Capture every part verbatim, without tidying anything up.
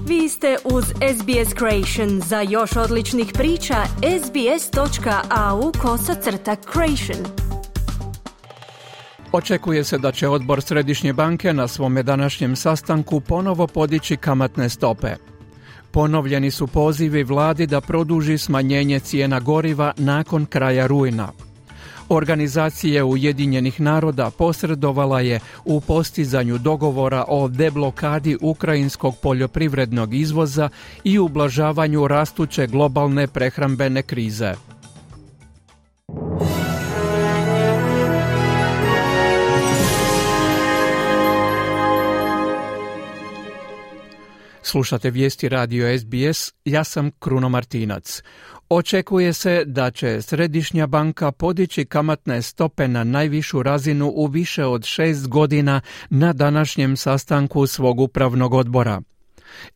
Vi ste uz S B S Creation. Za još odličnih priča, sbs.au kosacrta creation. Očekuje se da će odbor Središnje banke na svome današnjem sastanku ponovo podići kamatne stope. Ponovljeni su pozivi vladi da produži smanjenje cijena goriva nakon kraja rujna. Organizacija Ujedinjenih naroda posredovala je u postizanju dogovora o deblokadi ukrajinskog poljoprivrednog izvoza i ublažavanju rastuće globalne prehrambene krize. Slušate vijesti radio S B S, ja sam Kruno Martinac. Očekuje se da će Središnja banka podići kamatne stope na najvišu razinu u više od šest godina na današnjem sastanku svog upravnog odbora.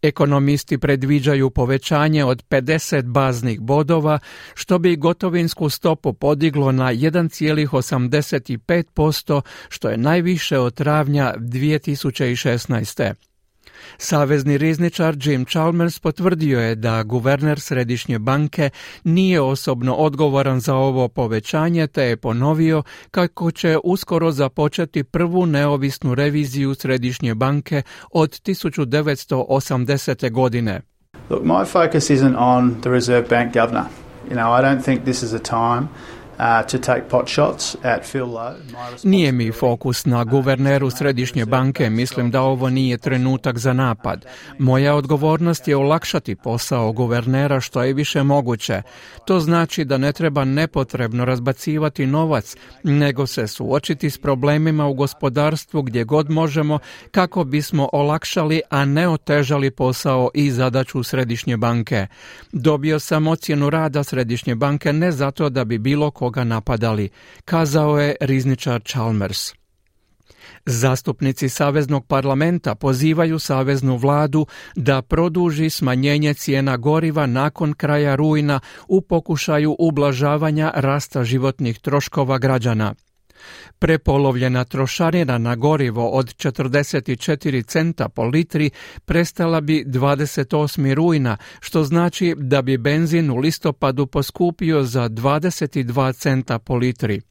Ekonomisti predviđaju povećanje od pedeset baznih bodova, što bi gotovinsku stopu podiglo na jedan zarez osamdeset pet posto, što je najviše od travnja dvije tisuće šesnaeste. Savezni rizničar Jim Chalmers potvrdio je da guverner Središnje banke nije osobno odgovoran za ovo povećanje, te je ponovio kako će uskoro započeti prvu neovisnu reviziju Središnje banke od tisuću devetsto osamdesete. godine. Look, my focus isn't on the Reserve Bank governor. You know, I don't think this is a time Uh, to take pot shots at Phil Lowe. Nije mi fokus na guverneru Središnje banke, mislim da ovo nije trenutak za napad. Moja odgovornost je olakšati posao guvernera što je više moguće. To znači da ne treba nepotrebno razbacivati novac, nego se suočiti s problemima u gospodarstvu gdje god možemo kako bismo olakšali, a ne otežali posao i zadaću Središnje banke. Dobio sam ocjenu rada Središnje banke ne zato da bi bilo ko ga napadali, kazao je rizničar Chalmers. Zastupnici Saveznog parlamenta pozivaju saveznu vladu da produži smanjenje cijena goriva nakon kraja rujna u pokušaju ublažavanja rasta životnih troškova građana. Prepolovljena trošarina na gorivo od četrdeset četiri centa po litri prestala bi dvadeset osmog rujna, što znači da bi benzin u listopadu poskupio za dvadeset dva centa po litri.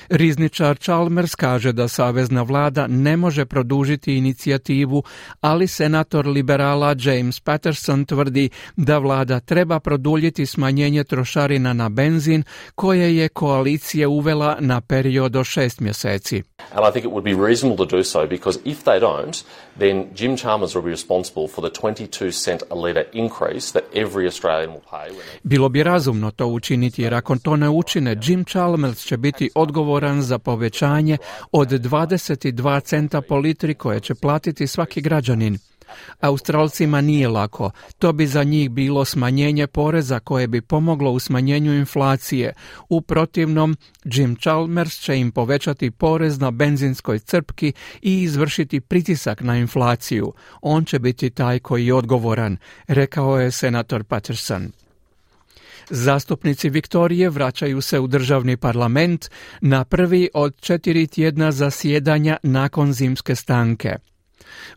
Rizničar Chalmers kaže da savezna vlada ne može produžiti inicijativu, ali senator liberala James Patterson tvrdi da vlada treba produljiti smanjenje trošarina na benzin koje je koalicija uvela na period od šest mjeseci. And I think it would be reasonable to do so because if they don't, then Jim Chalmers will be responsible for the twenty-two cent a litre increase that every Australian will pay. Bilo bi razumno to učiniti jer ako to ne učine, Jim Chalmers će biti odgovoran za povećanje od dvadeset dva centa po litri koje će platiti svaki građanin. Australcima nije lako. To bi za njih bilo smanjenje poreza koje bi pomoglo u smanjenju inflacije. U protivnom, Jim Chalmers će im povećati porez na benzinskoj crpki i izvršiti pritisak na inflaciju. On će biti taj koji je odgovoran, rekao je senator Patterson. Zastupnici Viktorije vraćaju se u državni parlament na prvi od četiri tjedna zasjedanja nakon zimske stanke.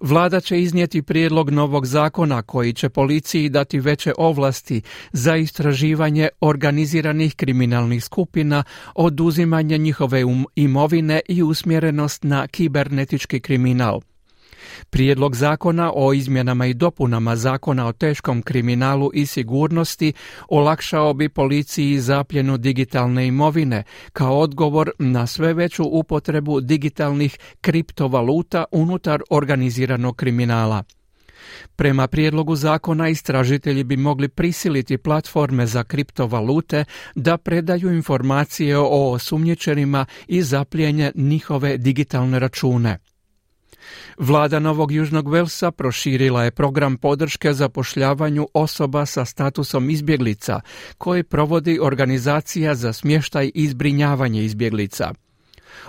Vlada će iznijeti prijedlog novog zakona koji će policiji dati veće ovlasti za istraživanje organiziranih kriminalnih skupina, oduzimanje njihove imovine i usmjerenost na kibernetički kriminal. Prijedlog zakona o izmjenama i dopunama zakona o teškom kriminalu i sigurnosti olakšao bi policiji zapljenu digitalne imovine kao odgovor na sve veću upotrebu digitalnih kriptovaluta unutar organiziranog kriminala. Prema prijedlogu zakona istražitelji bi mogli prisiliti platforme za kriptovalute da predaju informacije o osumnjičenima i zapljenje njihove digitalne račune. Vlada Novog Južnog Velsa proširila je program podrške zapošljavanju osoba sa statusom izbjeglica, koji provodi organizacija za smještaj i zbrinjavanje izbjeglica.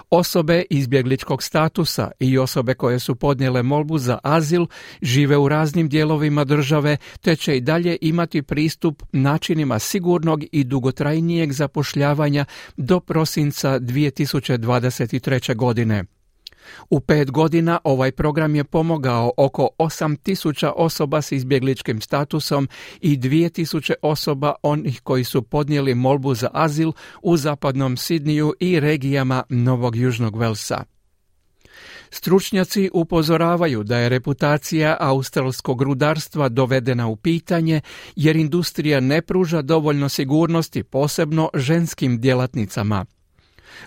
Osobe izbjegličkog statusa i osobe koje su podnijele molbu za azil žive u raznim dijelovima države, te će i dalje imati pristup načinima sigurnog i dugotrajnijeg zapošljavanja do prosinca dvije tisuće dvadeset treće. godine. U pet godina ovaj program je pomogao oko osam tisuća osoba s izbjegličkim statusom i dvije tisuće osoba onih koji su podnijeli molbu za azil u zapadnom Sidniju i regijama Novog Južnog Velsa. Stručnjaci upozoravaju da je reputacija australskog rudarstva dovedena u pitanje jer industrija ne pruža dovoljno sigurnosti, posebno ženskim djelatnicama.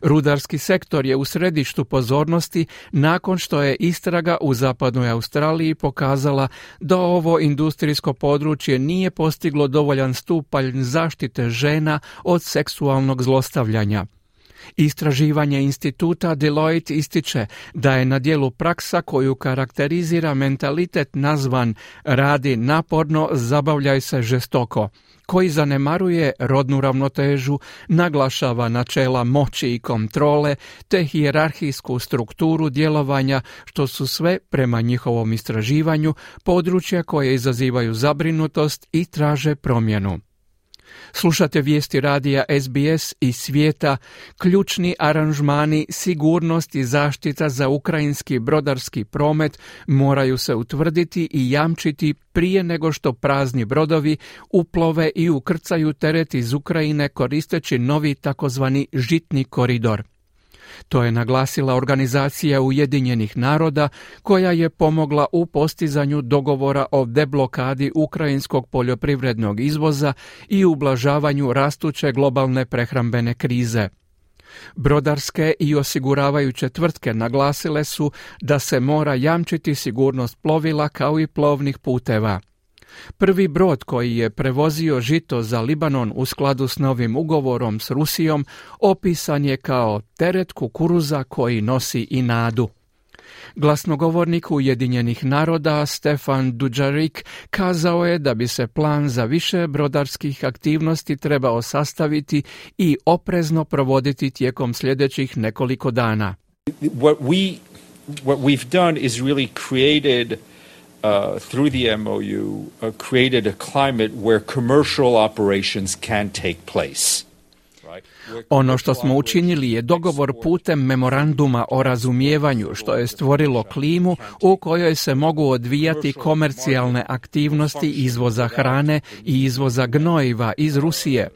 Rudarski sektor je u središtu pozornosti nakon što je istraga u zapadnoj Australiji pokazala da ovo industrijsko područje nije postiglo dovoljan stupanj zaštite žena od seksualnog zlostavljanja. Istraživanje instituta Deloitte ističe da je na djelu praksa koju karakterizira mentalitet nazvan radi naporno, zabavljaj se žestoko, koji zanemaruje rodnu ravnotežu, naglašava načela moći i kontrole te hijerarhijsku strukturu djelovanja, što su sve, prema njihovom istraživanju, područja koje izazivaju zabrinutost i traže promjenu. Slušate vijesti radija S B S iz svijeta, ključni aranžmani, sigurnost i zaštita za ukrajinski brodarski promet moraju se utvrditi i jamčiti prije nego što prazni brodovi uplove i ukrcaju teret iz Ukrajine koristeći novi takozvani žitni koridor. To je naglasila Organizacija Ujedinjenih naroda koja je pomogla u postizanju dogovora o deblokadi ukrajinskog poljoprivrednog izvoza i ublažavanju rastuće globalne prehrambene krize. Brodarske i osiguravajuće tvrtke naglasile su da se mora jamčiti sigurnost plovila kao i plovnih puteva. Prvi brod koji je prevozio žito za Libanon u skladu s novim ugovorom s Rusijom opisan je kao teret kukuruza koji nosi i nadu. Glasnogovornik Ujedinjenih naroda Stefan Dujarric kazao je da bi se plan za više brodarskih aktivnosti trebao sastaviti i oprezno provoditi tijekom sljedećih nekoliko dana. What we what we've done is really created Uh, through the M O U, uh, created a climate where commercial operations can take place. Ono što smo učinili je dogovor putem memoranduma o razumijevanju, što je stvorilo klimu u kojoj se mogu odvijati komercijalne aktivnosti izvoza hrane i izvoza gnojiva iz Rusije.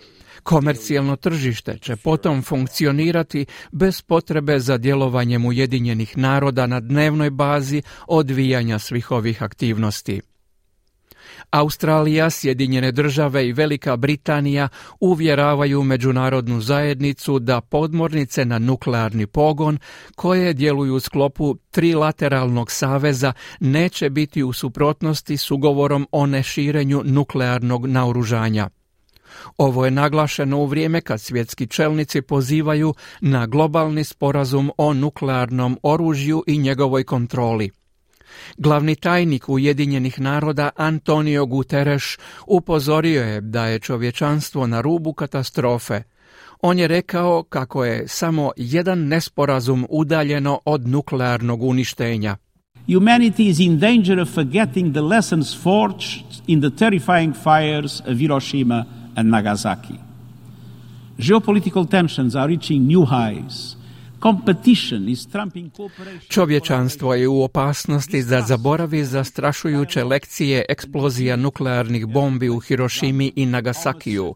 Komercijalno tržište će potom funkcionirati bez potrebe za djelovanjem Ujedinjenih naroda na dnevnoj bazi odvijanja svih ovih aktivnosti. Australija, Sjedinjene države i Velika Britanija uvjeravaju međunarodnu zajednicu da podmornice na nuklearni pogon, koje djeluju u sklopu trilateralnog saveza, neće biti u suprotnosti s ugovorom o neširenju nuklearnog naoružanja. Ovo je naglašeno u vrijeme kad svjetski čelnici pozivaju na globalni sporazum o nuklearnom oružju i njegovoj kontroli. Glavni tajnik Ujedinjenih naroda Antonio Guterres upozorio je da je čovječanstvo na rubu katastrofe. On je rekao kako je samo jedan nesporazum udaljeno od nuklearnog uništenja. Humanity is in danger of forgetting the lessons forged in the terrifying fires of Hiroshima and Nagasaki. Geopolitical tensions are reaching new highs. Competition is trumping cooperation. Čovječanstvo je u opasnosti da zaboravi zastrašujuće lekcije eksplozija nuklearnih bombi u Hirošimi i Nagasakiju.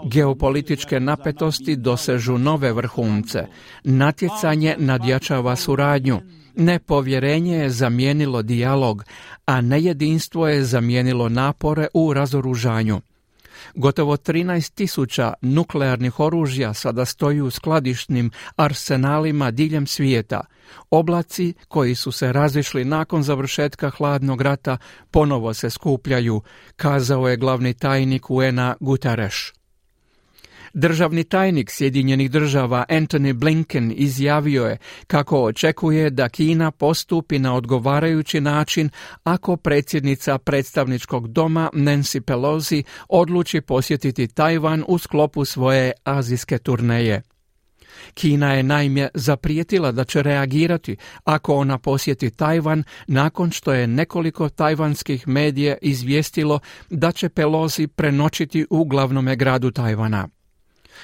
Geopolitičke napetosti dosežu nove vrhunce. Natjecanje nadjačava suradnju. Nepovjerenje je zamijenilo dijalog, a nejedinstvo je zamijenilo napore u razoružanju. Gotovo trinaest tisuća nuklearnih oružja sada stoji u skladišnim arsenalima diljem svijeta. Oblaci koji su se razišli nakon završetka hladnog rata ponovo se skupljaju, kazao je glavni tajnik U N A Guterres. Državni tajnik Sjedinjenih država Antony Blinken izjavio je kako očekuje da Kina postupi na odgovarajući način ako predsjednica predstavničkog doma Nancy Pelosi odluči posjetiti Tajvan u sklopu svoje azijske turneje. Kina je naime zaprijetila da će reagirati ako ona posjeti Tajvan nakon što je nekoliko tajvanskih medija izvijestilo da će Pelosi prenoćiti u glavnome gradu Tajvana.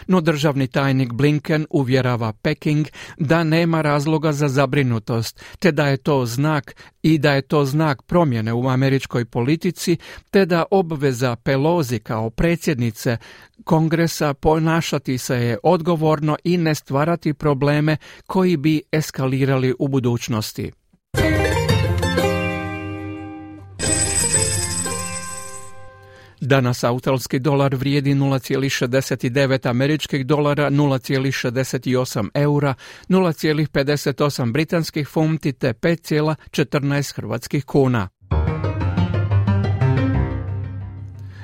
No državni tajnik Blinken uvjerava Peking da nema razloga za zabrinutost, te da je to znak i da je to znak promjene u američkoj politici, te da obveza Pelosi kao predsjednice Kongresa ponašati se je odgovorno i ne stvarati probleme koji bi eskalirali u budućnosti. Danas australski dolar vrijedi nula zarez šezdeset devet američkih dolara, nula zarez šezdeset osam eura, nula zarez pedeset osam britanskih funti te pet zarez četrnaest hrvatskih kuna.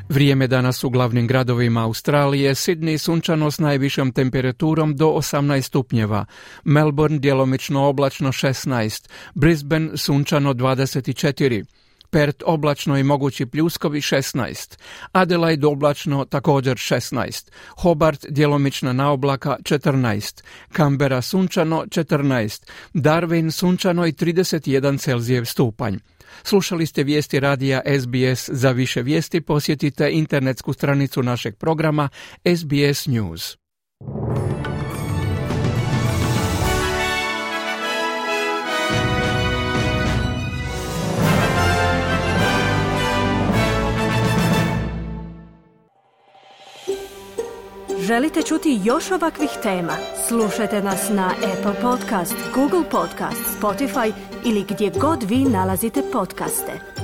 Vrijeme danas u glavnim gradovima Australije: Sydney sunčano s najvišom temperaturom do osamnaest stupnjeva, Melbourne djelomično oblačno šesnaest, Brisbane sunčano dvadeset četiri, Perth oblačno i mogući pljuskovi šesnaest, Adelaide oblačno također šesnaest, Hobart djelomična naoblaka četrnaest, Canberra sunčano četrnaest, Darwin sunčano i trideset jedan Celzijev stupanj. Slušali ste vijesti radija S B S. Za više vijesti posjetite internetsku stranicu našeg programa S B S News. Želite čuti još ovakvih tema? Slušajte nas na Apple Podcast, Google Podcast, Spotify ili gdje god vi nalazite podcaste.